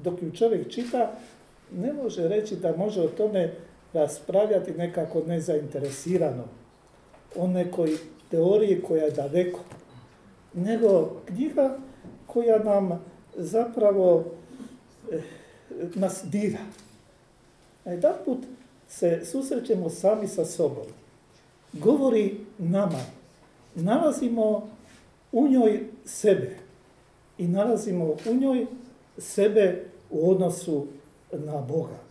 dok ju čovjek čita, ne može reći da može o tome raspravljati nekako nezainteresirano, o nekoj teoriji koja je daleko, nego knjiga koja nam zapravo nas dira. A jedanput se susrećemo sami sa sobom. Govori nama, nalazimo u njoj sebe i nalazimo u njoj sebe u odnosu na Boga.